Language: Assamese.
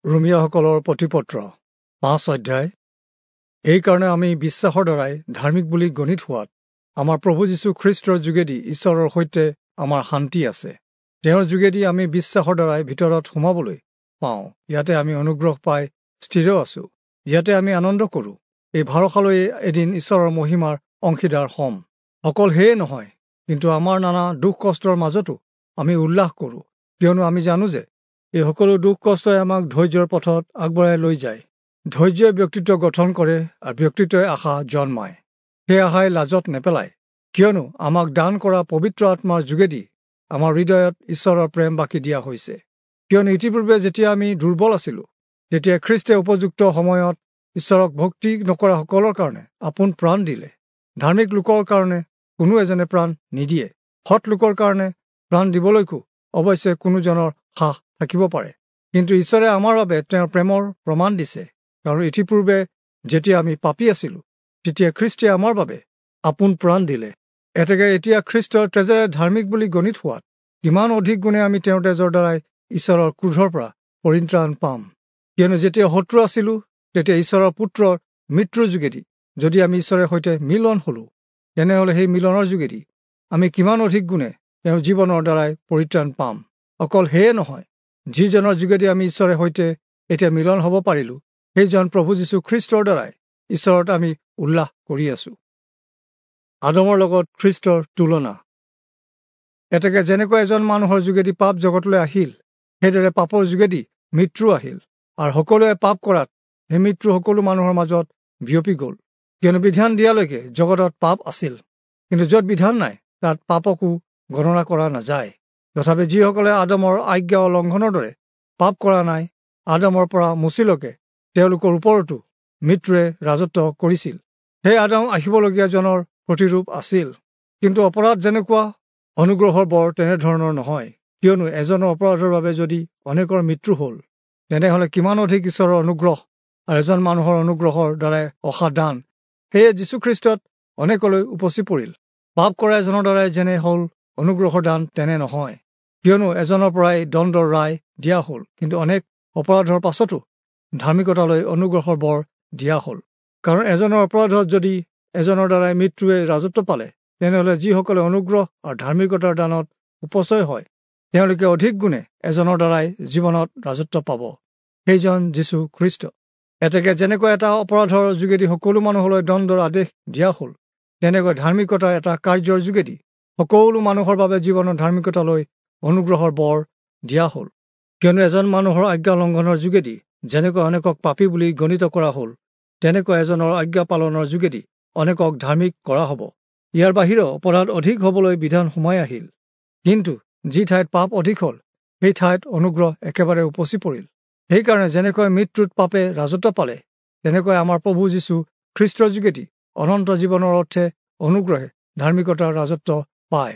ৰোমীয়াসকলৰ প্ৰতিপত্ৰ 5 অধ্যায়। এইকাৰণে আমি বিশ্বাসৰ দ্বাৰাই ধাৰ্মিক বুলি গণিত হোৱাত আমাৰ প্ৰভু যীশু খ্ৰীষ্টৰ যোগেদি ঈশ্বৰৰ সৈতে আমাৰ শান্তি আছে। তেওঁৰ যোগেদি আমি বিশ্বাসৰ দ্বাৰাই ভিতৰত সোমাবলৈ পাওঁ। ইয়াতে আমি অনুগ্ৰহ পাই স্থিৰ আছোঁ। ইয়াতে আমি আনন্দ কৰোঁ। এই ভৰসালৈয়ে এদিন ঈশ্বৰৰ মহিমাৰ অংশীদাৰ হ'ম। অকল সেয়ে নহয়, কিন্তু আমাৰ নানা দুখ কষ্টৰ মাজতো আমি উল্লাস কৰোঁ, কিয়নো আমি জানো যে এই সকলো দুখ কষ্টই আমাক ধৈৰ্যৰ পথত আগবঢ়াই লৈ যায়। ধৈৰ্যই ব্যক্তিত্ব গঠন কৰে আৰু ব্যক্তিত্বই আশা জন্মায়। সেই আশাই লাজত নেপেলায়, কিয়নো আমাক দান কৰা পবিত্ৰ আত্মাৰ যোগেদি আমাৰ হৃদয়ত ঈশ্বৰৰ প্ৰেম বাকি দিয়া হৈছে। কিয়নো ইতিপূৰ্বে যেতিয়া আমি দুৰ্বল আছিলোঁ, তেতিয়া খ্ৰীষ্টে উপযুক্ত সময়ত ঈশ্বৰক ভক্তি নকৰাসকলৰ কাৰণে আপোন প্ৰাণ দিলে। ধাৰ্মিক লোকৰ কাৰণে কোনো এজনে প্ৰাণ নিদিয়ে, সৎ লোকৰ কাৰণে প্ৰাণ দিবলৈকো অৱশ্যে কোনোজনৰ সাহ থাকিব পাৰে। কিন্তু ঈশ্বৰে আমাৰ বাবে তেওঁৰ প্ৰেমৰ প্ৰমাণ দিছে, কাৰণ ইতিপূৰ্বে যেতিয়া আমি পাপী আছিলোঁ, তেতিয়া খ্ৰীষ্টে আমাৰ বাবে আপোন প্ৰাণ দিলে। এতেকে এতিয়া খ্ৰীষ্টৰ তেজেৰে ধাৰ্মিক বুলি গণিত হোৱাত কিমান অধিক গুণে আমি তেওঁৰ তেজৰ দ্বাৰাই ঈশ্বৰৰ ক্ৰোধৰ পৰা পৰিত্ৰাণ পাম। কিয়নো যেতিয়া শত্ৰু আছিলোঁ, তেতিয়া ঈশ্বৰৰ পুত্ৰৰ মৃত্যুৰ যোগেদি যদি আমি ঈশ্বৰে সৈতে মিলন হ'লোঁ, তেনেহ'লে সেই মিলনৰ যোগেদি আমি কিমান অধিক গুণে তেওঁৰ জীৱনৰ দ্বাৰাই পৰিত্ৰাণ পাম। অকল সেয়ে নহয়, যিজনৰ যোগেদি আমি ঈশ্বৰে সৈতে এতিয়া মিলন হ'ব পাৰিলোঁ, সেইজন প্ৰভু যীশু খ্ৰীষ্টৰ দ্বাৰাই ঈশ্বৰত আমি উল্লাস কৰি আছোঁ। আদমৰ লগত খ্ৰীষ্টৰ তুলনা। এতেকে যেনেকৈ এজন মানুহৰ যোগেদি পাপ জগতলৈ আহিল, সেইদৰে পাপৰ যোগেদি মৃত্যু আহিল, আৰু সকলোৱে পাপ কৰাত সেই মৃত্যু সকলো মানুহৰ মাজত বিয়পি গ'ল। কিয়নো বিধান দিয়ালৈকে জগতত পাপ আছিল, কিন্তু য'ত বিধান নাই তাত পাপকো গণনা কৰা নাযায়। তথাপি যিসকলে আদমৰ আজ্ঞা উলংঘনৰ দৰে পাপ কৰা নাই, আদমৰ পৰা মোচিলৈকে তেওঁলোকৰ ওপৰতো মৃত্যুৱে ৰাজত্ব কৰিছিল। সেই আদম আহিবলগীয়াজনৰ প্ৰতিৰূপ আছিল। কিন্তু অপৰাধ যেনেকুৱা, অনুগ্ৰহৰ বৰ তেনেধৰণৰ নহয়। কিয়নো এজনৰ অপৰাধৰ বাবে যদি অনেকৰ মৃত্যু হ'ল, তেনেহ'লে কিমান অধিক ঈশ্বৰৰ অনুগ্ৰহ আৰু এজন মানুহৰ অনুগ্ৰহৰ দ্বাৰাই অহা দান সেয়ে যীশুখ্ৰীষ্টত অনেকলৈ উপচি পৰিল। পাপ কৰা এজনৰ দ্বাৰাই যেনে হ'ল, অনুগ্ৰহৰ দান তেনে নহয়। কিয়নো এজনৰ পৰাই দণ্ডৰ ৰায় দিয়া হ'ল, কিন্তু অনেক অপৰাধৰ পাছতো ধাৰ্মিকতালৈ অনুগ্ৰহৰ বৰ দিয়া হ'ল। কাৰণ এজনৰ অপৰাধত যদি এজনৰ দ্বাৰাই মৃত্যুৱে ৰাজত্ব পালে, তেনেহ'লে যিসকলে অনুগ্ৰহ আৰু ধাৰ্মিকতাৰ দানত উপচয় হয়, তেওঁলোকে অধিক গুণে এজনৰ দ্বাৰাই জীৱনত ৰাজত্ব পাব, সেইজন যীশু খ্ৰীষ্ট। এতেকে যেনেকৈ এটা অপৰাধৰ যোগেদি সকলো মানুহলৈ দণ্ডৰ আদেশ দিয়া হ'ল, তেনেকৈ ধাৰ্মিকতাৰ এটা কাৰ্যৰ যোগেদি সকলো মানুহৰ বাবে জীৱনৰ ধাৰ্মিকতালৈ অনুগ্ৰহৰ বৰ দিয়া হ'ল। কিয়নো এজন মানুহৰ আজ্ঞা লংঘনৰ যোগেদি যেনেকৈ অনেকক পাপী বুলি গণিত কৰা হ'ল, তেনেকৈ এজনৰ আজ্ঞা পালনৰ যোগেদি অনেকক ধাৰ্মিক কৰা হ'ব। ইয়াৰ বাহিৰেও অপৰাধ অধিক হ'বলৈ বিধান সোমাই আহিল, কিন্তু যি ঠাইত পাপ অধিক হ'ল, সেই ঠাইত অনুগ্ৰহ একেবাৰে উপচি পৰিল। সেইকাৰণে যেনেকৈ মৃত্যুত পাপে ৰাজত্ব পালে, তেনেকৈ আমাৰ প্ৰভু যীশু খ্ৰীষ্টৰ যোগেদি অনন্ত জীৱনৰ অৰ্থে অনুগ্ৰহে ধাৰ্মিকতাৰ ৰাজত্ব পায়।